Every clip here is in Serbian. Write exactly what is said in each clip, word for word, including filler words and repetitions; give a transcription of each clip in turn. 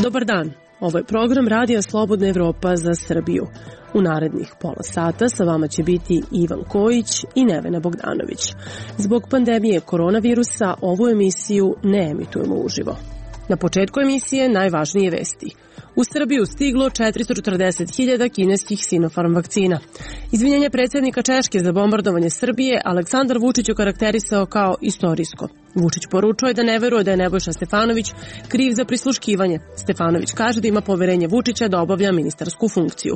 Dobar dan, ovo je program Radija Slobodna Evropa za Srbiju. U narednih pola sata sa vama će biti Ivan Kojić i Nevena Bogdanović. Zbog pandemije koronavirusa ovu emisiju ne emitujemo uživo. Na početku emisije najvažnije vesti. U Srbiju stiglo četiristo četrdeset hiljada kineskih Sinopharm vakcina. Izvinjenje predsjednika Češke za bombardovanje Srbije Aleksandar Vučić okarakterisao kao istorijsko. Vučić poručuje da ne veruje da je Nebojša Stefanović kriv za prisluškivanje. Stefanović kaže da ima poverenje Vučića da obavlja ministarsku funkciju.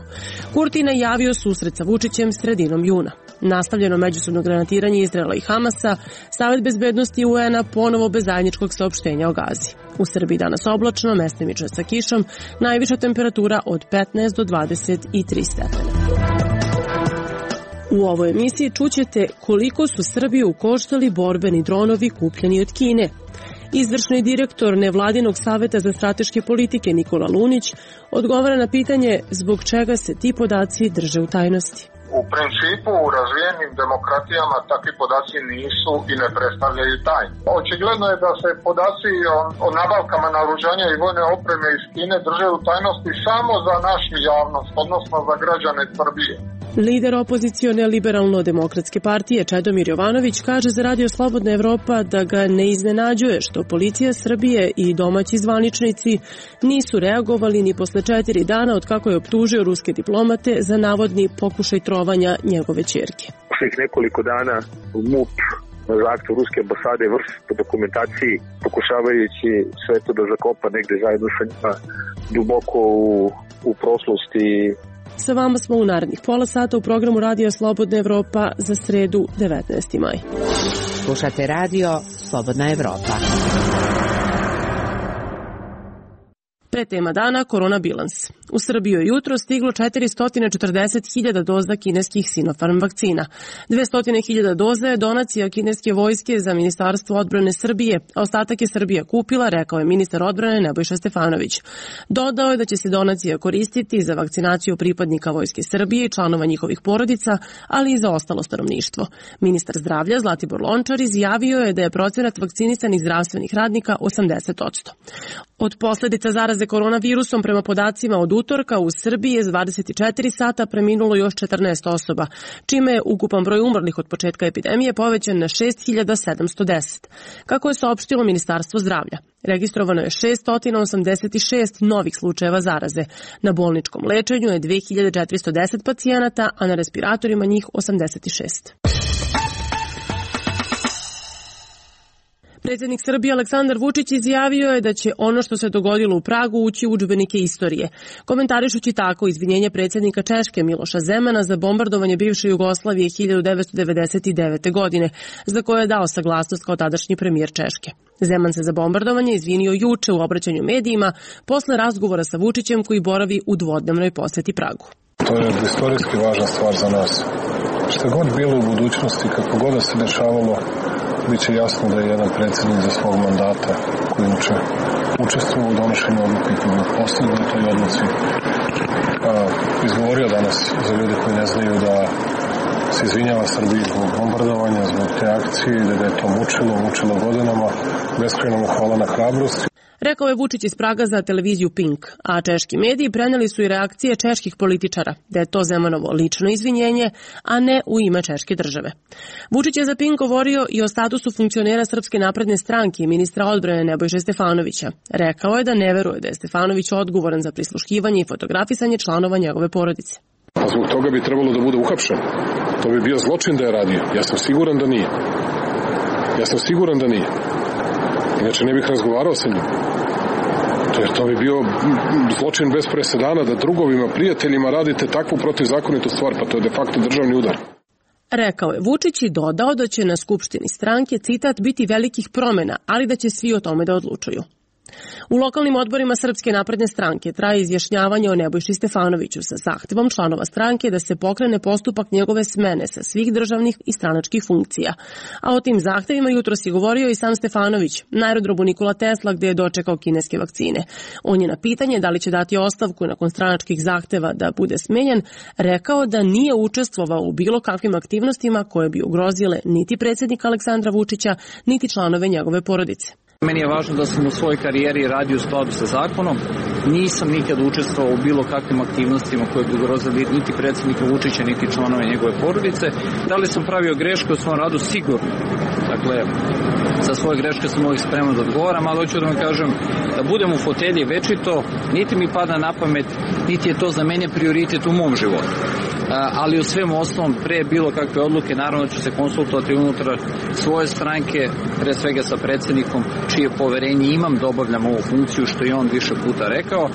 Kurti najavio susret sa Vučićem sredinom juna. Nastavljeno međusobno granatiranje Izraela i Hamasa, Savet bezbednosti U N-a ponovo bez zajedničkog saopštenja o Gazi. U Srbiji danas oblačno, mestimično sa kišom, najviša temperatura od petnaest do dvadeset tri stepena. U ovoj emisiji čućete koliko su Srbiju koštali borbeni dronovi kupljeni od Kine. Izvršni direktor Nevladinog saveta za strateške politike Nikola Lunić odgovara na pitanje zbog čega se ti podaci drže u tajnosti. U principu u razvijenim demokratijama takvi podaci nisu i ne predstavljaju tajnu. Očigledno je da se podaci o, o nabavkama naoružanja i vojne opreme iz Kine drže u tajnosti samo za našu javnost, odnosno za građane Srbije. Lider opozicione liberalno-demokratske partije Čedomir Jovanović kaže za Radio Slobodna Evropa da ga ne iznenađuje što policija Srbije i domaći zvaničnici nisu reagovali ni posle četiri dana od kako je optužio ruske diplomate za navodni pokušaj trovanja njegove ćerke. Svih nekoliko dana MUP na zahtev ruske ambasade vrši po dokumentaciji, pokušavajući sve to da zakopa negde zajedno sa njima duboko u, u prošlosti. Sa vama smo u narednih pola sata u programu Radio Slobodna Evropa za sredu devetnaesti maj. Slušate Radio Slobodna Evropa. Pretema dana – korona bilans. U Srbiju je jutro stiglo četiristo četrdeset hiljada doza kineskih Sinopharm vakcina. dvesta hiljada doza je donacija kineske vojske za Ministarstvo odbrane Srbije, a ostatak je Srbija kupila, rekao je ministar odbrane Nebojša Stefanović. Dodao je da će se donacija koristiti za vakcinaciju pripadnika Vojske Srbije i članova njihovih porodica, ali i za ostalo stanovništvo. Ministar zdravlja Zlatibor Lončar izjavio je da je procenat vakcinisanih zdravstvenih radnika osamdeset posto. Od posledica zaraze koronavirusom prema podacima od utorka u Srbiji je dvadeset četiri sata preminulo još četrnaest osoba, čime je ukupan broj umrlih od početka epidemije povećan na šest hiljada sedamsto deset. Kako je saopštilo Ministarstvo zdravlja, registrovano je šessto osamdeset šest novih slučajeva zaraze. Na bolničkom lečenju je dve hiljade četiristo deset pacijenata, a na respiratorima njih osamdeset šest. Predsjednik Srbije Aleksandar Vučić izjavio je da će ono što se dogodilo u Pragu ući u udžbenike istorije, komentarišući tako izvinjenje predsjednika Češke Miloša Zemana za bombardovanje bivše Jugoslavije hiljadu devetsto devedeset devete. godine, za koje je dao saglasnost kao tadašnji premijer Češke. Zeman se za bombardovanje izvinio juče u obraćanju medijima posle razgovora sa Vučićem koji boravi u dvodnevnoj poseti Pragu. To je istorijski važna stvar za nas. Što god bilo u budućnosti, kako god da se dešavalo, bit će jasno da je jedan predsjednik za svog mandata koji uče učestvovao u donošenju odluke koji je postigao u toj odluci. A, izgovorio danas za ljude koji ne znaju da se izvinjava Srbiji zbog bombardovanja, zbog te akcije, da ga je to mučilo, mučilo godinama. Beskrajno mu hvala na hrabrosti. Rekao je Vučić iz Praga za televiziju Pink, a češki mediji preneli su i reakcije čeških političara, da je to Zemanovo lično izvinjenje, a ne u ime češke države. Vučić je za Pink govorio i o statusu funkcionera Srpske napredne stranke i ministra odbrane Nebojše Stefanovića. Rekao je da ne veruje da je Stefanović odgovoran za prisluškivanje i fotografisanje članova njegove porodice. A zbog toga bi trebalo da bude uhapšen. To bi bio zločin da je radio. Ja sam siguran da nije. Ja sam siguran da nije. Inače ne bih razgovarao sa njim. Jer to bi bio zločin bez presedana da drugovima, prijateljima radite takvu protivzakonitu stvar, pa to je de facto državni udar. Rekao je Vučić i dodao da će na skupštini stranke, citat, biti velikih promjena, ali da će svi o tome da odlučuju. U lokalnim odborima Srpske napredne stranke traje izjašnjavanje o Nebojši Stefanoviću sa zahtevom članova stranke da se pokrene postupak njegove smene sa svih državnih i stranačkih funkcija. A o tim zahtevima jutros je govorio i sam Stefanović na aerodromu Nikola Tesla gde je dočekao kineske vakcine. On je na pitanje da li će dati ostavku nakon stranačkih zahteva da bude smenjen, rekao da nije učestvovao u bilo kakvim aktivnostima koje bi ugrozile niti predsjednika Aleksandra Vučića, niti članove njegove porodice. Meni je važno da sam u svojoj karijeri radio u skladu sa zakonom. Nisam nikad učestvovao u bilo kakvim aktivnostima koje bi ugrozili niti predsjednika Vučića, niti članove njegove porodice. Da li sam pravio greške u svom radu? Sigurno. Dakle, za svoje greške sam uvijek spreman da odgovaram, ali hoću da vam kažem da budem u fotelji večito, niti mi pada na pamet, niti je to za mene prioritet u mom životu. Ali u svemu osnovom, pre bilo kakve odluke, naravno ću se konsultovati unutar svoje stranke, pre svega sa predsjednikom, čije poverenje imam da obavljam ovu funkciju, što je on više puta rekao,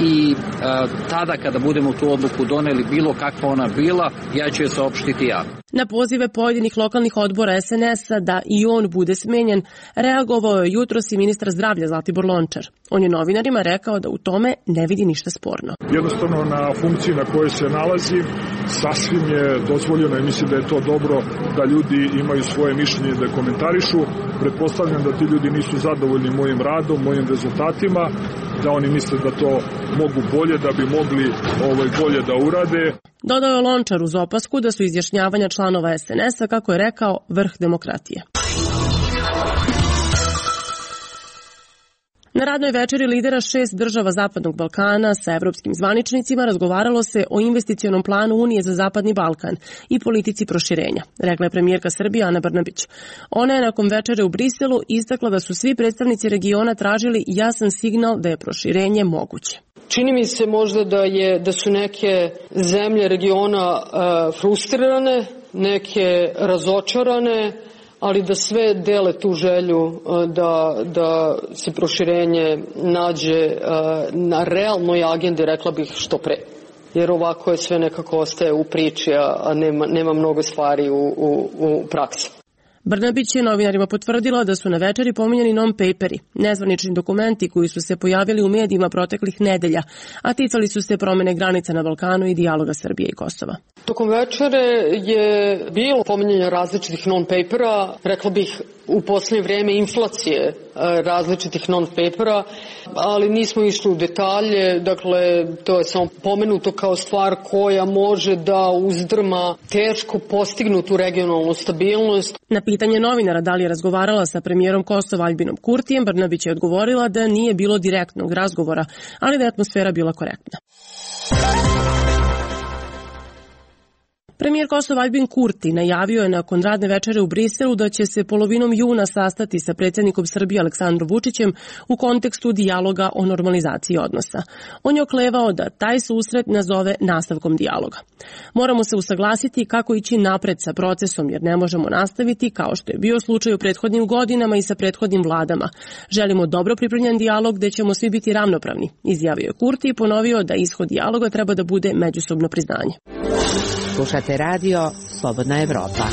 i a, tada kada budemo tu odluku doneli, bilo kakva ona bila, ja ću je saopštiti ja. Na pozive pojedinih lokalnih odbora es en es-a da i on bude smenjen, reagovao je jutros i ministar zdravlja Zlatibor Lončar. On je novinarima rekao da u tome ne vidi ništa sporno. Jednostavno na funkciji na kojoj se nalazi sasvim je dozvoljeno i mislim da je to dobro da ljudi imaju svoje mišljenje da komentarišu. Pretpostavljam da ti ljudi nisu zadovoljni mojim radom, mojim rezultatima, da oni misle da to mogu bolje, da bi mogli ovaj, bolje da urade. Dodao je Lončar uz opasku da su izjašnjavanja članova es en es-a, kako je rekao, vrh demokratije. Na radnoj večeri lidera šest država Zapadnog Balkana sa evropskim zvaničnicima razgovaralo se o investicionom planu Unije za Zapadni Balkan i politici proširenja, rekla je premijerka Srbije Ana Brnabić. Ona je nakon večere u Briselu istakla da su svi predstavnici regiona tražili jasan signal da je proširenje moguće. Čini mi se možda da je da su neke zemlje regiona uh, frustrirane, neke razočarane, ali da sve dele tu želju da, da se proširenje nađe na realnoj agendi, rekla bih, što pre. Jer ovako je sve nekako ostaje u priči, a nema, nema mnogo stvari u, u, u praksi. Brnabić je novinarima potvrdila da su na večeri pominjani non-paperi, nezvanični dokumenti koji su se pojavili u medijima proteklih nedelja, a ticali su se promene granica na Balkanu i dijaloga Srbije i Kosova. Tokom večere je bilo pominjanje različitih non-papera, rekla bih u posljednje vrijeme inflacije različitih non-papera, ali nismo išli u detalje, dakle to je samo pomenuto kao stvar koja može da uzdrma teško postignutu regionalnu stabilnost. Na pitanje novinara da li je razgovarala sa premijerom Kosova Aljbinom Kurtijem, Brnabić je odgovorila da nije bilo direktnog razgovora, ali da je atmosfera bila korektna. Premijer Kosova Aljbin Kurti najavio je nakon radne večere u Briselu da će se polovinom juna sastati sa predsjednikom Srbije Aleksandrom Vučićem u kontekstu dijaloga o normalizaciji odnosa. On je oklevao da taj susret nazove nastavkom dijaloga. Moramo se usaglasiti kako ići napred sa procesom, jer ne možemo nastaviti kao što je bio slučaj u prethodnim godinama i sa prethodnim vladama. Želimo dobro pripremljen dijalog gde ćemo svi biti ravnopravni, izjavio je Kurti i ponovio da ishod dijaloga treba da bude međusobno priznanje. Slušate radio Slobodna Evropa.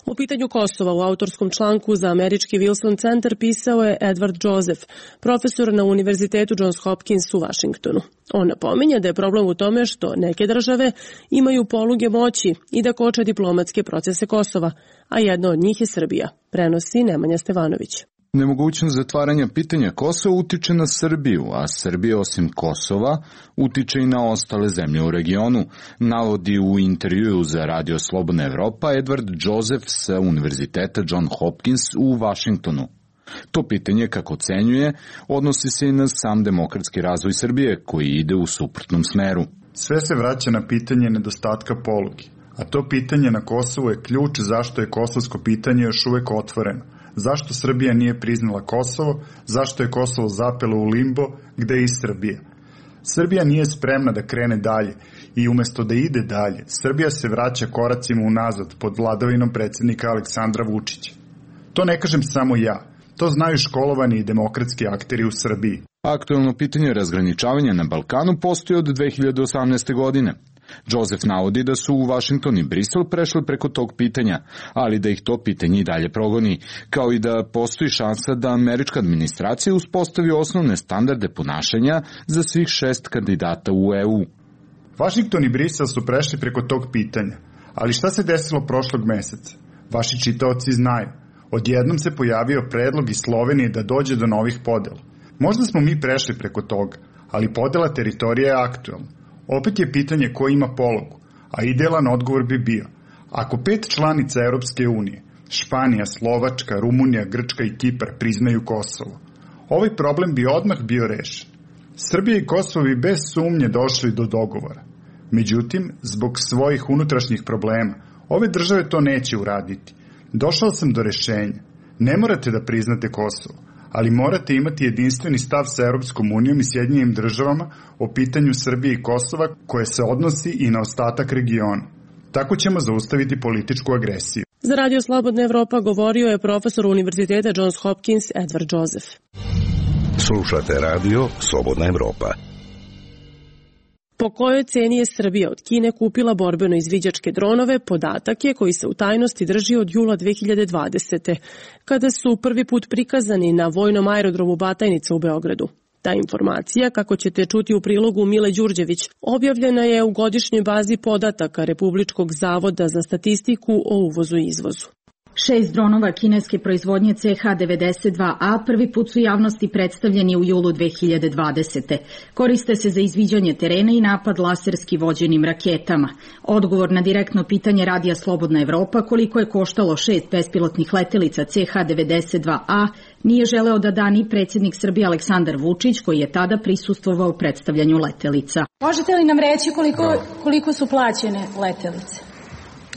U pitanju Kosova u autorskom članku za američki Wilson centar pisao je Edward Joseph, profesor na Univerzitetu Johns Hopkins u Vašingtonu. On napominje da je problem u tome što neke države imaju poluge moći i da koče diplomatske procese Kosova, a jedna od njih je Srbija, prenosi Nemanja Stevanović. Nemogućnost zatvaranja pitanja Kosova utiče na Srbiju, a Srbija osim Kosova utiče i na ostale zemlje u regionu, navodi u intervjuu za Radio Slobodna Evropa Edward Joseph sa Univerziteta John Hopkins u Vašingtonu. To pitanje, kako ocenjuje, odnosi se i na sam demokratski razvoj Srbije, koji ide u suprotnom smeru. Sve se vraća na pitanje nedostatka poluge, a to pitanje na Kosovu je ključ zašto je kosovsko pitanje još uvek otvoreno. Zašto Srbija nije priznala Kosovo, zašto je Kosovo zapelo u limbo, gde je i Srbija. Srbija nije spremna da krene dalje i umesto da ide dalje, Srbija se vraća koracima unazad pod vladavinom predsjednika Aleksandra Vučića. To ne kažem samo ja, to znaju školovani i demokratski akteri u Srbiji. Aktuelno pitanje razgraničavanja na Balkanu postoji od dve hiljade osamnaeste. godine. Joseph navodi da su u Vašington i Brisel prešli preko tog pitanja, ali da ih to pitanje i dalje progoni, kao i da postoji šansa da američka administracija uspostavi osnovne standarde ponašanja za svih šest kandidata u E U. Vašington i Brisel su prešli preko tog pitanja, ali šta se desilo prošlog meseca? Vaši čitaoci znaju. Odjednom se pojavio predlog iz Slovenije da dođe do novih podela. Možda smo mi prešli preko toga, ali podela teritorija je aktuelna. Opet je pitanje ko ima pologu, a idealan odgovor bi bio. Ako pet članica Europske unije, Španija, Slovačka, Rumunija, Grčka i Kipar priznaju Kosovo, ovaj problem bi odmah bio rešen. Srbija i Kosovo bi bez sumnje došli do dogovora. Međutim, zbog svojih unutrašnjih problema, ove države to neće uraditi. Došao sam do rešenja. Ne morate da priznate Kosovo, ali morate imati jedinstveni stav sa Europskom unijom i Sjedinjenim državama o pitanju Srbije i Kosova koje se odnosi i na ostatak regiona. Tako ćemo zaustaviti političku agresiju. Za Radio Slobodna Evropa govorio je profesor Univerziteta Johns Hopkins Edward Joseph. Slušate Radio Slobodna Evropa. Po kojoj ceni je Srbija od Kine kupila borbeno izviđačke dronove, podatak je koji se u tajnosti drži od jula dve hiljade dvadesete. kada su prvi put prikazani na vojnom aerodromu Batajnica u Beogradu. Ta informacija, kako ćete čuti u prilogu Mile Đurđević, objavljena je u godišnjoj bazi podataka Republičkog zavoda za statistiku o uvozu i izvozu. Šest dronova kineske proizvodnje C H devedeset dva A prvi put su javnosti predstavljeni u julu dve hiljade dvadesete. Koriste se za izviđanje terena i napad laserski vođenim raketama. Odgovor na direktno pitanje Radija Slobodna Evropa koliko je koštalo šest bespilotnih letelica C H devedeset dva A nije želeo da da ni predsjednik Srbije Aleksandar Vučić, koji je tada prisustvovao predstavljanju letelica. Možete li nam reći koliko, koliko su plaćene letelice?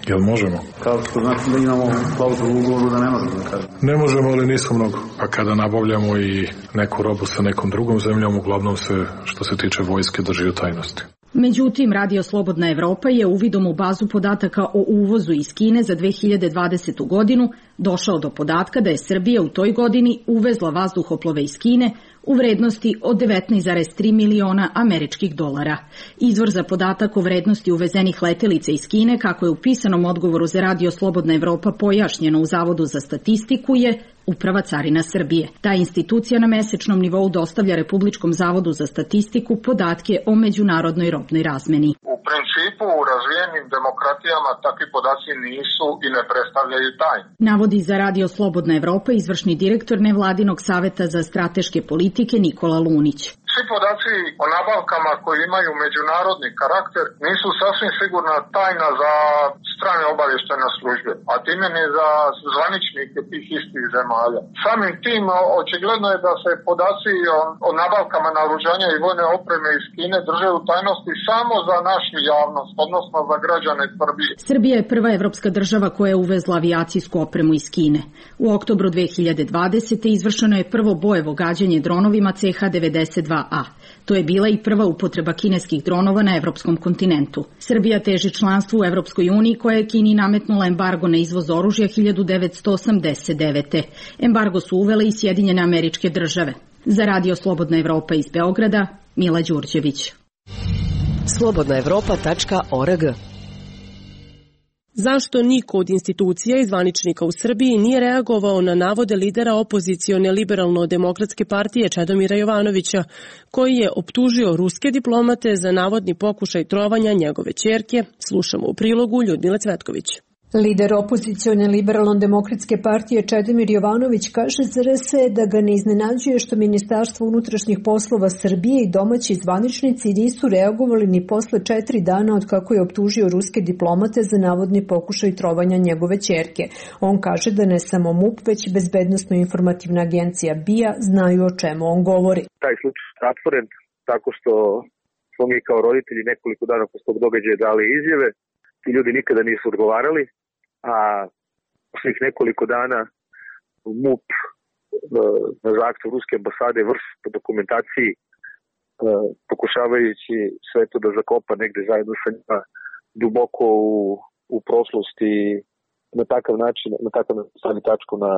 Jel možemo? Kao što znači da imamo klauzulu u ugovoru da ne možemo da kažemo. Ne možemo, ali nismo mnogo. Pa kada nabavljamo i neku robu sa nekom drugom zemljom, uglavnom se, što se tiče vojske, drži u tajnosti. Međutim, Radio Slobodna Evropa je uvidom u bazu podataka o uvozu iz Kine za dve hiljade dvadesetu godinu došao do podatka da je Srbija u toj godini uvezla vazduhoplove iz Kine u vrednosti od devetnaest zarez tri miliona američkih dolara. Izvor za podatak o vrednosti uvezenih letelica iz Kine, kako je u pisanom odgovoru za Radio Slobodna Evropa pojašnjeno u Zavodu za statistiku, je Uprava carina Srbije. Ta institucija na mesečnom nivou dostavlja Republičkom zavodu za statistiku podatke o međunarodnoj robnoj razmeni. U principu u razvijenim demokratijama takvi podaci nisu i ne predstavljaju tajnu. Navodi za Radio Slobodna Evropa izvršni direktor Nevladinog saveta za strateške politike Nikola Lunić. Svi podaci o nabavkama koji imaju međunarodni karakter nisu sasvim sigurna tajna za strane obavještajne službe, a time ni za zvaničnike tih istih zemalja. Samim tim očigledno je da se podaci o, o nabavkama naoružanja i vojne opreme iz Kine drže u tajnosti samo za našu javnost, odnosno za građane Srbije. Srbija je prva evropska država koja je uvezla avijacijsku opremu iz Kine. U oktobru dve hiljade dvadesete izvršeno je prvo bojevo gađanje dronovima C H devedeset dva A. To je bila i prva upotreba kineskih dronova na evropskom kontinentu. Srbija teži članstvu u Evropskoj uniji koja je Kini nametnula embargo na izvoz oružja hiljadu devetsto osamdeset devete. Embargo su uvele i Sjedinjene Američke Države. Za Radio Slobodna Evropa iz Beograda, Mila Đurđević. slobodna evropa tačka org. Zašto niko od institucija i zvaničnika u Srbiji nije reagovao na navode lidera opozicione liberalno-demokratske partije Čedomira Jovanovića, koji je optužio ruske diplomate za navodni pokušaj trovanja njegove ćerke? Slušamo u prilogu Ljudmile Cvetković. Lider opozicione liberalno-demokratske partije Čedomir Jovanović kaže za R S da ga ne iznenađuje što Ministarstvo unutrašnjih poslova Srbije i domaći zvaničnici nisu reagovali ni posle četiri dana od kako je optužio ruske diplomate za navodni pokušaj trovanja njegove ćerke. On kaže da ne samo MUP, već i Bezbednosno-informativna agencija B I A znaju o čemu on govori. Taj slučaj je zatvoren tako što smo mi kao roditelji nekoliko dana posle tog događaja dali izjave. Ti ljudi nikada nisu odgovarali, a poslednjih nekoliko dana MUP na zahtev ruske ambasade vrši po dokumentaciji pokušavajući sve to da zakopa negde zajedno sa njima duboko u, u prošlosti na takav način, na takav način stavi tačku na,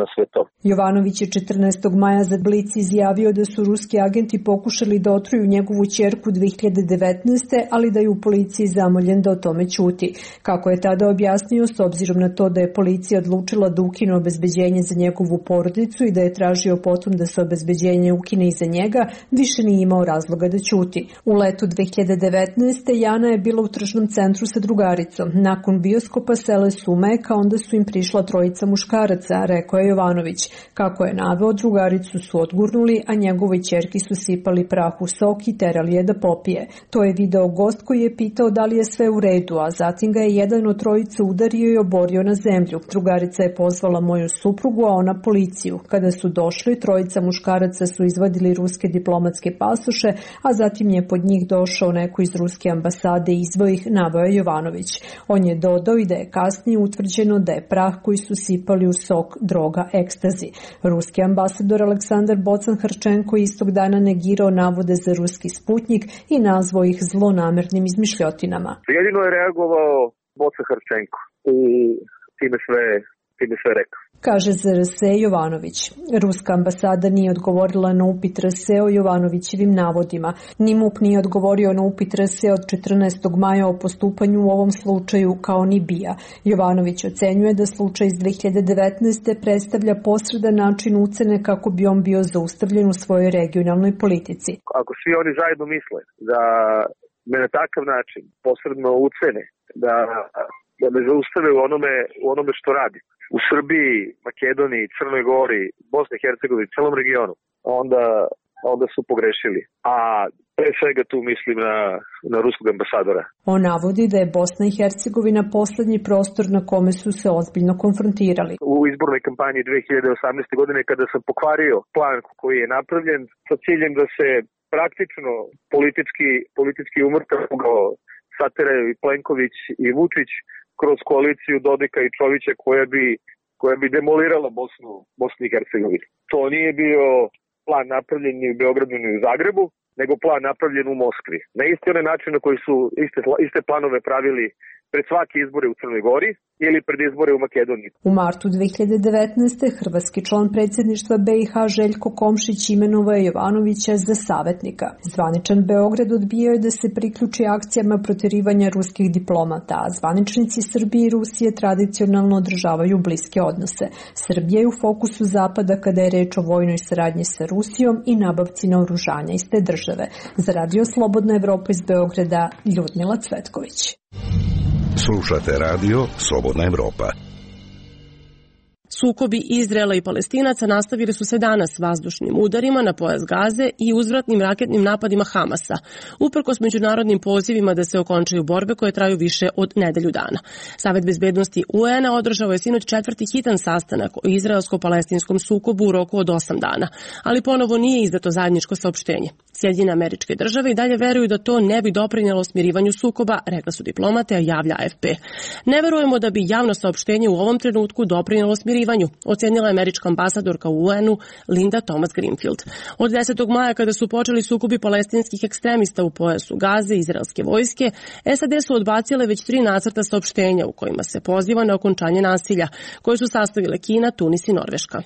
na sve to. Jovanović je četrnaestog maja za Blic izjavio da su ruski agenti pokušali da otruju njegovu ćerku dve hiljade devetnaeste. ali da je u policiji zamoljen da o tome ćuti. Kako je tada objasnio, s obzirom na to da je policija odlučila da ukine obezbeđenje za njegovu porodicu i da je tražio potom da se obezbeđenje ukine i za njega, više nije imao razloga da ćuti. U letu dve hiljade devetnaeste. Jana je bila u tržnom centru sa drugaricom. Nakon bioskopa sele sumeka, onda su im prišla trojica muškaraca, rekao je Jovanović. Kako je naveo, drugaricu su odgurnuli, a njegovoj ćerki su sipali prah u sok i terali je da popije. To je video gost koji je pitao da li je sve u redu, a zatim ga je jedan od trojice udario i oborio na zemlju. Drugarica je pozvala moju suprugu, a ona policiju. Kada su došli, trojica muškaraca su izvadili ruske diplomatske pasoše, a zatim je pod njih došao neko iz ruske ambasade i izveo ih, naveo je Jovanović. On je dodao i da je kasnije utvrđeno da je prah koji su sipali u sok droga ekstazi. Ruski ambasador Aleksandar Bocan-Harčenko istog dana negirao navode za ruski Sputnjik i nazvao ih zlonamernim izmišljotinama. Jedino je reagovao Bocan-Harčenko i time sve, time sve rekao. Kaže za R S E Jovanović. Ruska ambasada nije odgovorila na upit R S E o Jovanovićevim navodima. Ni M U P nije odgovorio na upit R S E od četrnaestog maja o postupanju u ovom slučaju, kao ni B I A. Jovanović ocenjuje da slučaj iz dve hiljade devetnaeste. predstavlja posredan način ucene kako bi on bio zaustavljen u svojoj regionalnoj politici. Ako svi oni zajedno misle da me na takav način posredno ucene, da, da me zaustave u onome, u onome što radi, u Srbiji, Makedoniji, Crnoj Gori, Bosni i Hercegovini, celom regionu, onda, onda su pogrešili. A pre svega tu mislim na, na ruskog ambasadora. On navodi da je Bosna i Hercegovina poslednji prostor na kome su se ozbiljno konfrontirali. U izbornoj kampanji dve hiljade osamnaeste. godine, kada sam pokvario plan koji je napravljen sa ciljem da se praktično politički, politički umrtav ugao sateraju i Plenković i Vučić kroz koaliciju Dodika i Čovića koja bi, koja bi demolirala Bosnu, Bosnu i Hercegovinu. To nije bio plan napravljen ni u Beogradu ni u Zagrebu, nego plan napravljen u Moskvi. Na isti onaj način na koji su iste, iste planove pravili pred svake izbore u Crnoj Gori ili pred izbore u Makedoniji. U martu dve hiljade devetnaeste. hrvatski član predsjedništva B i H Željko Komšić imenovao je Jovanovića za savjetnika. Zvaničan Beograd odbijao je da se priključi akcijama proterivanja ruskih diplomata, a zvaničnici Srbije i Rusije tradicionalno održavaju bliske odnose. Srbija je u fokusu Zapada kada je reč o vojnoj saradnji sa Rusijom i nabavci naoružanja iz te države. Za Radio Slobodna Evropa iz Beograda, Ljudmila Cvetković. Slušate radio Slobodna Evropa. Sukobi Izraela i Palestinaca nastavili su se danas vazdušnim udarima na pojas Gaze i uzvratnim raketnim napadima Hamasa, uprkos međunarodnim pozivima da se okončaju borbe koje traju više od nedelju dana. Savet bezbednosti U N A održao je sinoć četvrti hitan sastanak o izraelsko-palestinskom sukobu u roku od osam dana, ali ponovo nije izdato zajedničko saopštenje. Sjedinjene Američke Države i dalje veruju da to ne bi doprinjelo smirivanju sukoba, rekla su diplomate, a javlja A F P. Ne verujemo da bi javno saopštenje u ovom trenutku doprinjelo smirivanju, ocenila je američka ambasadorka u U N U Linda Thomas Greenfield. Od desetog maja, kada su počeli sukobi palestinskih ekstremista u pojasu Gaze i izraelske vojske, S A D su odbacile već tri nacrta saopštenja u kojima se poziva na okončanje nasilja, koje su sastavile Kina, Tunis i Norveška.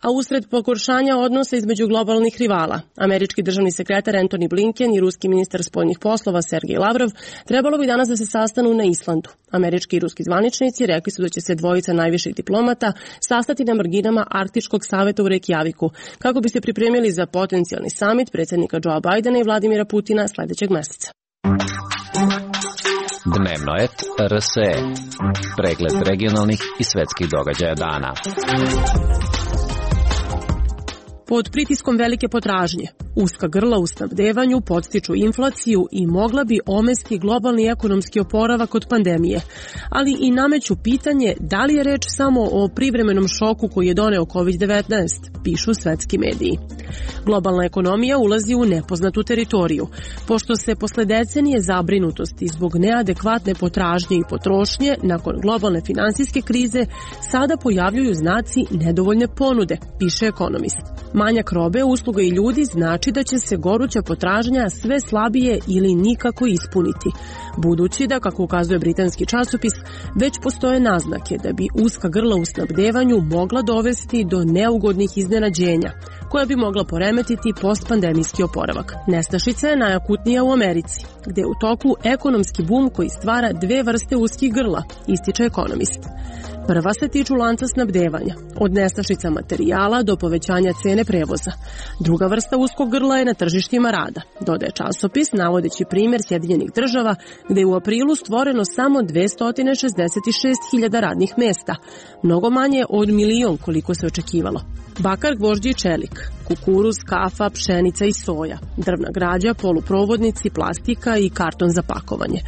A usred pogoršanja odnosa između globalnih rivala, američki državni sekretar Antony Blinken i ruski ministar spoljnih poslova Sergej Lavrov trebalo bi danas da se sastanu na Islandu. Američki i ruski zvaničnici rekli su da će se dvojica najviših diplomata sastati na marginama Arktičkog saveta u Reykjaviku, kako bi se pripremili za potencijalni samit predsjednika Joea Bidena i Vladimira Putina sledećeg meseca. Dnevno et R S E. Pregled regionalnih i svetskih događaja dana. Pod pritiskom velike potražnje, uska grla u snabdevanju podstiču inflaciju i mogla bi omesti globalni ekonomski oporavak od pandemije, ali i nameću pitanje da li je reč samo o privremenom šoku koji je doneo kovid devetnaest, pišu svetski mediji. Globalna ekonomija ulazi u nepoznatu teritoriju, pošto se posle decenije zabrinutosti zbog neadekvatne potražnje i potrošnje nakon globalne finansijske krize sada pojavljuju znaci nedovoljne ponude, piše ekonomist. manjak robe, usluga i ljudi znači da će se goruća potražnja sve slabije ili nikako ispuniti, budući da, kako ukazuje britanski časopis, već postoje naznake da bi uska grla u snabdevanju mogla dovesti do neugodnih iznenađenja, koja bi mogla poremetiti postpandemijski oporavak. Nestašica je najakutnija u Americi, gde je u toku ekonomski bum koji stvara dve vrste uskih grla, ističe ekonomist. Prva se tiču lanca snabdevanja, od nestašica materijala do povećanja cene prevoza. Druga vrsta uskog grla je na tržištima rada, dodaje časopis, navodeći primjer Sjedinjenih država, gde je u aprilu stvoreno samo dvesta šezdeset šest hiljada radnih mesta, mnogo manje od milion koliko se očekivalo. Bakar, gvožđi i čelik, kukuruz, kafa, pšenica i soja, drvna građa, poluprovodnici, plastika i karton za pakovanje.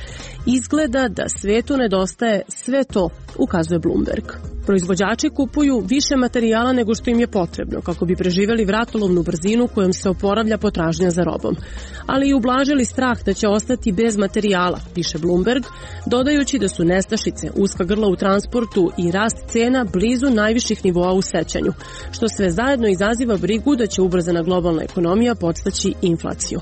Izgleda da svetu nedostaje sve to, ukazuje Bloomberg. Proizvođači kupuju više materijala nego što im je potrebno kako bi preživjeli vratolovnu brzinu kojom se oporavlja potražnja za robom, ali i ublažili strah da će ostati bez materijala, piše Bloomberg, dodajući da su nestašice, uska grla u transportu i rast cena blizu najviših nivoa u sećanju, što sve zajedno izaziva brigu da će ubrzana globalna ekonomija podstaći inflaciju.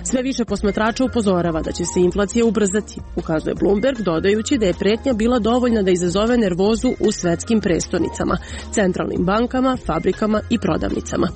Sve više posmatrača upozorava da će se inflacija ubrzati, ukazuje Bloomberg, dodajući da je pretnja bila dovoljna da izazove nervozu u svetskim prestonicama, centralnim bankama, fabrikama i prodavnicama.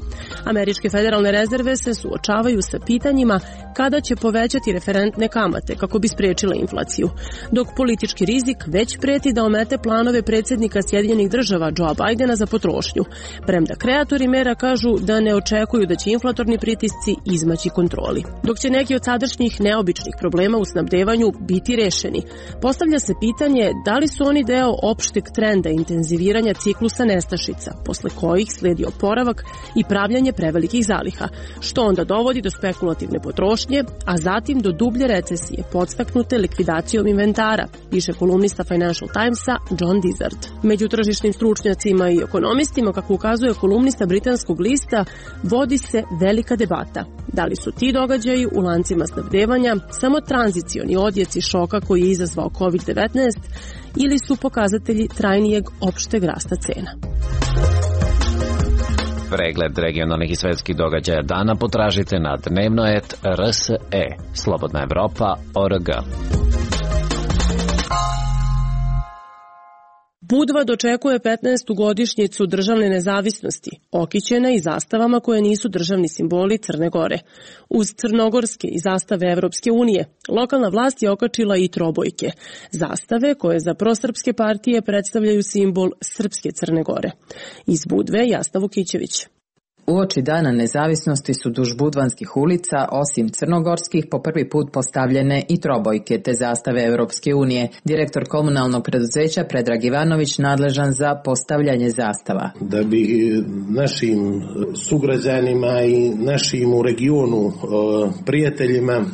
Američke federalne rezerve se suočavaju sa pitanjima kada će povećati referentne kamate kako bi sprečile inflaciju, dok politički rizik već preti da omete planove predsjednika Sjedinjenih država Joea Bidena za potrošnju, premda kreatori mera kažu da ne očekuju da će inflatorni pritisci izmaći kontroli. Dok će neki od sadašnjih neobičnih problema u snabdevanju biti rešeni, postavlja se pitanje da li su oni deo opšteg trenda intenziviranja ciklusa nestašica, posle kojih sledi oporavak i pravljanje prevelikih zaliha, što onda dovodi do spekulativne potrošnje, a zatim do dublje recesije podstaknute likvidacijom inventara, piše kolumnista Financial Timesa John Dizard. Među tržišnim stručnjacima i ekonomistima, kako ukazuje kolumnista britanskog lista, vodi se velika debata. Da li su ti događaji u lancima snabdevanja samo tranzicioni odjeci šoka koji je izazvao kovid devetnaest ili su pokazatelji trajnijeg opšteg rasta cena? Pregled regionalnih i svetskih događaja dana potražite na dnevnoet R S E, Slobodna Evropa, O R G. Budva dočekuje petnaestu godišnjicu državne nezavisnosti, okićena i zastavama koje nisu državni simboli Crne Gore. Uz crnogorske i zastave Evropske unije, lokalna vlast je okačila i trobojke, zastave koje za prosrpske partije predstavljaju simbol srpske Crne Gore. Iz Budve, Jasna Vukićević. Uoči dana nezavisnosti su duž budvanskih ulica, osim crnogorskih, po prvi put postavljene i trobojke te zastave Europske unije. Direktor komunalnog preduzeća Predrag Ivanović nadležan za postavljanje zastava. Da bi našim sugrađanima i našim u regionu prijateljima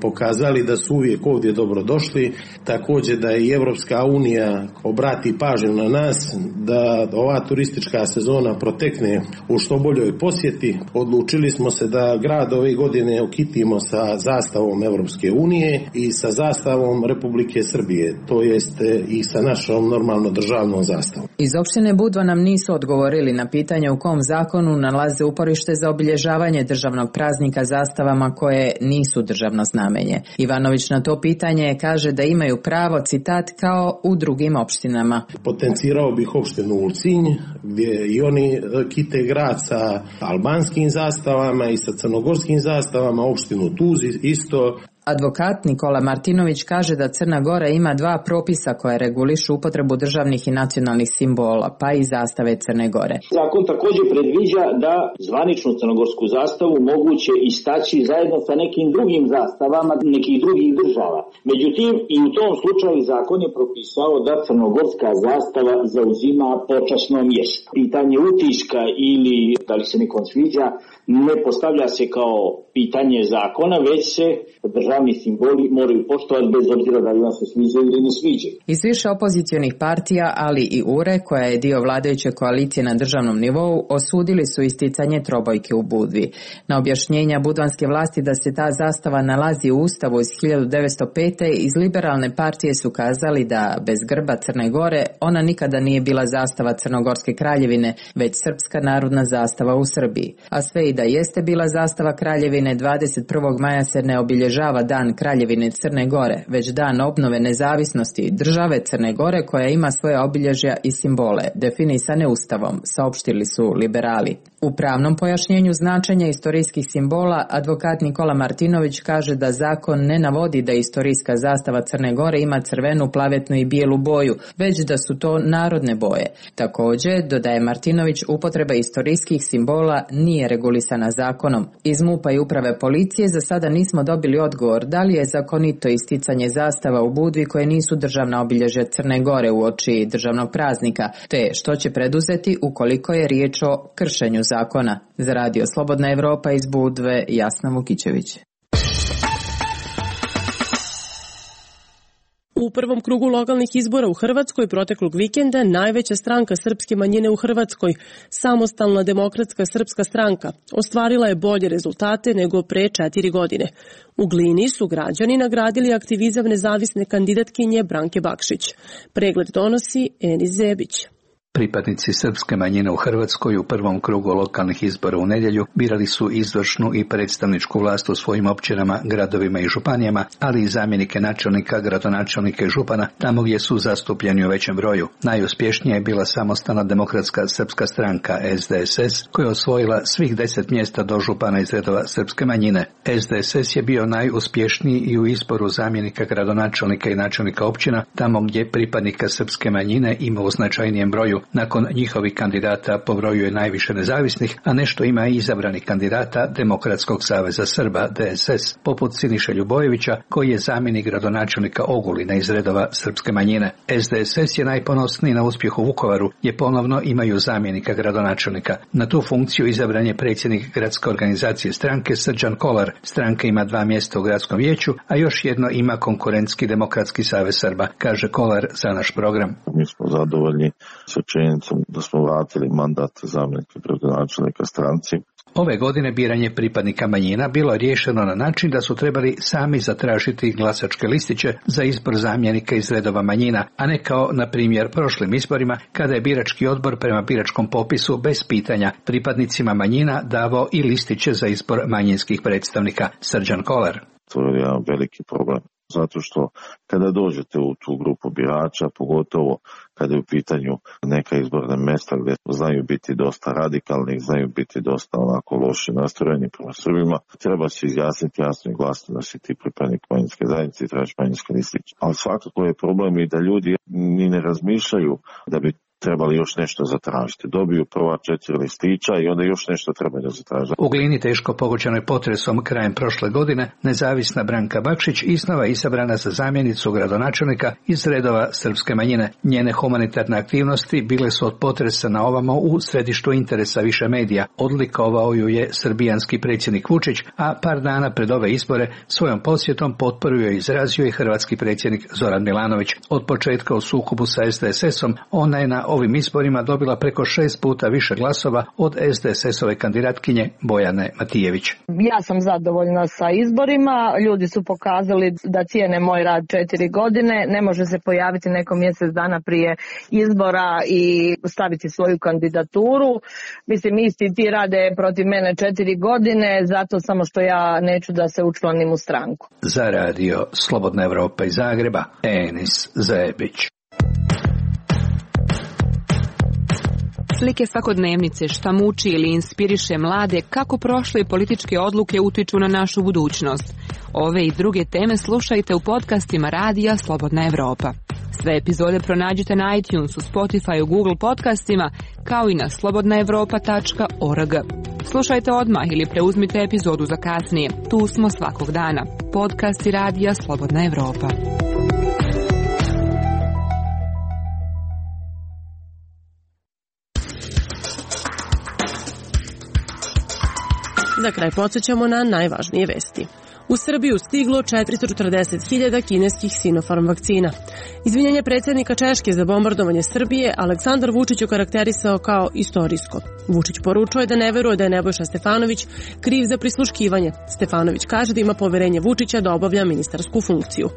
pokazali da su uvijek ovdje dobrodošli, također da i Evropska unija obrati pažnju na nas, da ova turistička sezona protekne u što boljoj posjeti. Odlučili smo se da grad ove godine okitimo sa zastavom Evropske unije i sa zastavom Republike Srbije, to jest i sa našom normalno državnom zastavom. Iz opštine Budva nam nisu odgovorili na pitanje u kom zakonu nalaze uporište za obilježavanje državnog praznika zastavama koje nisu državno znamenje. Ivanović na to pitanje kaže da imaju pravo, citat, kao u drugim opštinama. Potencirao bih opštinu Ulcinj, gdje i oni kite grad sa albanskim zastavama i sa crnogorskim zastavama, opštinu Tuz isto. Advokat Nikola Martinović kaže da Crna Gora ima dva propisa koje regulišu upotrebu državnih i nacionalnih simbola, pa i zastave Crne Gore. Zakon također predviđa da zvaničnu crnogorsku zastavu moguće istaći zajedno sa nekim drugim zastavama nekih drugih država. Međutim, i u tom slučaju zakon je propisao da crnogorska zastava zauzima počasno mjesto. Pitanje utiska ili da li se nekom sviđa ne postavlja se kao pitanje zakona, već se država javni simboli moraju poštovati bez obzira da li vam se sviđaju ili ne sviđaju. Iz više opozicionih partija, ali i U R E, koja je dio vladajuće koalicije na državnom nivou, osudili su isticanje trobojke u Budvi. Na objašnjenja budvanske vlasti da se ta zastava nalazi u Ustavu iz hiljadu devetsto pete. iz liberalne partije su kazali da bez grba Crne Gore ona nikada nije bila zastava Crnogorske kraljevine, već srpska narodna zastava u Srbiji. A sve i da jeste bila zastava kraljevine, dvadeset prvog maja se ne obilježava dan Kraljevine Crne Gore, već dan obnove nezavisnosti države Crne Gore koja ima svoje obilježja i simbole, definisane Ustavom, saopštili su liberali. U pravnom pojašnjenju značenja istorijskih simbola, advokat Nikola Martinović kaže da zakon ne navodi da istorijska zastava Crne Gore ima crvenu, plavetnu i bijelu boju, već da su to narodne boje. Također, dodaje Martinović, upotreba istorijskih simbola nije regulisana zakonom. Iz MUP-a i uprave policije za sada nismo dobili odgovor da li je zakonito isticanje zastava u Budvi koje nisu državna obilježja Crne Gore uoči državnog praznika, te što će preduzeti ukoliko je riječ o kršenju zakona. Za Radio Slobodna Evropa iz Budve, Jasna Vukićević. U prvom krugu lokalnih izbora u Hrvatskoj proteklog vikenda najveća stranka srpske manjine u Hrvatskoj, Samostalna demokratska srpska stranka, ostvarila je bolje rezultate nego pre četiri godine. U Glini su građani nagradili aktivizam nezavisne kandidatkinje Branke Bakšić. Pregled donosi Enis Zebić. Pripadnici srpske manjine u Hrvatskoj u prvom krugu lokalnih izbora u nedjelju birali su izvršnu i predstavničku vlast u svojim općinama, gradovima i županijama, ali i zamjenike načelnika, gradonačelnika i župana tamo gdje su zastupljeni u većem broju. Najuspješnija je bila Samostalna demokratska srpska stranka S D S S koja je osvojila svih deset mjesta do župana iz redova srpske manjine. S D S S je bio najuspješniji i u izboru zamjenika gradonačelnika i načelnika općina tamo gdje pripadnika srpske manjine ima u značajnijem broju. Nakon njihovih kandidata po broju je najviše nezavisnih, a nešto ima i izabranih kandidata Demokratskog saveza Srba D S S, poput Siniše Ljubojevića, koji je zamjenik gradonačelnika Ogulina iz redova srpske manjine. S D S S je najponosniji na uspjeh u Vukovaru, gdje ponovno imaju zamjenika gradonačelnika. Na tu funkciju izabran je predsjednik gradske organizacije stranke Srđan Kolar. Stranka ima dva mjesta u gradskom vijeću, a još jedno ima konkurentski Demokratski savez Srba, kaže Kolar za naš program. Mi smo zadovoljni sa činjenicom da smo vratili mandat zamjenika gradonačelnika stranci. Ove godine biranje pripadnika manjina bilo je riješeno na način da su trebali sami zatražiti glasačke listiće za izbor zamjenika iz redova manjina, a ne kao na primjer prošlim izborima kada je birački odbor prema biračkom popisu bez pitanja pripadnicima manjina davao i listiće za izbor manjinskih predstavnika. Srđan Kolar. To je jedan veliki problem. Zato što kada dođete u tu grupu birača, pogotovo kada je u pitanju neka izborna mjesta gdje znaju biti dosta radikalni, znaju biti dosta onako loši nastrojeni prema Srbima, treba se izjasniti jasno i glasno da si ti pripadnik manjinske zajednice i trebaš manjinski listić. Ali svakako je problem i da ljudi ni ne razmišljaju da bi trebali još nešto zatražiti. Dobiju prva četiri listića i onda još nešto trebaju zatražiti. U Glini, teško pogođenoj potresom krajem prošle godine, nezavisna Branka Bakšić iznova izabrana za zamjenicu gradonačelnika iz redova srpske manjine. Njene humanitarne aktivnosti bile su od potresa na ovamo u središtu interesa više medija. Odlikovao ju je srbijanski predsjednik Vučić, a par dana pred ove izbore svojom posjetom potporu je izrazio i hrvatski predsjednik Zoran Milanović. Od početka u sukobu sa S D S S-om ona je na ovim izborima dobila preko šest puta više glasova od S D S S-ove kandidatkinje Bojane Matijević. Ja sam zadovoljna sa izborima, ljudi su pokazali da cijene moj rad četiri godine, ne može se pojaviti neko mjesec dana prije izbora i staviti svoju kandidaturu. Mislim, isti ti rade protiv mene četiri godine, zato samo što ja neću da se učlanim u stranku. Za Radio Slobodna Evropa iz Zagreba, Enis Zebić. Slike svakodnevnice, šta muči ili inspiriše mlade, kako prošle političke odluke utiču na našu budućnost. Ove i druge teme slušajte u podcastima Radija Slobodna Evropa. Sve epizode pronađite na iTunesu, Spotify, Google podcastima, kao i na slobodna evropa tačka org. Slušajte odmah ili preuzmite epizodu za kasnije. Tu smo svakog dana. Podcasti Radija Slobodna Evropa. Za kraj podsjećamo na najvažnije vesti. U Srbiju stiglo četiristo četrdeset hiljada kineskih Sinopharm vakcina. Izvinjenje predsjednika Češke za bombardovanje Srbije Aleksandar Vučić okarakterisao kao istorijsko. Vučić poručuje da ne veruje da je Nebojša Stefanović kriv za prisluškivanje. Stefanović kaže da ima poverenje Vučića da obavlja ministarsku funkciju.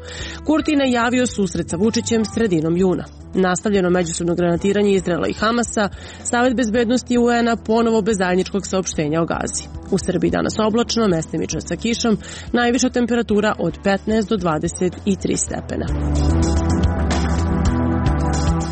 Kurti najavio susret sa Vučićem sredinom juna. Nastavljeno međusobno granatiranje Izraela i Hamasa, Savet bezbednosti U N-a ponovo bez zajedničkog saopštenja o Gazi. U Srbiji danas oblačno, mestimično sa kišom, najviša temperatura od petnaest do dvadeset tri stepena.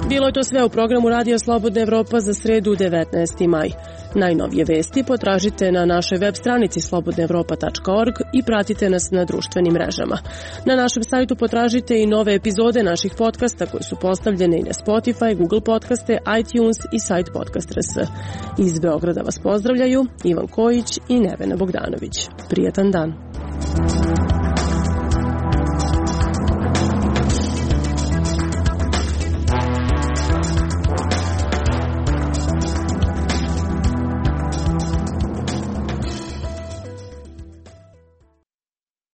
Bilo je to sve u programu Radija Slobodna Evropa za sredu devetnaesti maj. Najnovije vesti potražite na našoj web stranici slobodna evropa tačka org i pratite nas na društvenim mrežama. Na našem sajtu potražite i nove epizode naših podcasta koji su postavljene i na Spotify, Google podcaste, iTunes i sajt podcast tačka r s. Iz Beograda vas pozdravljaju Ivan Kojić i Nevena Bogdanović. Prijetan dan.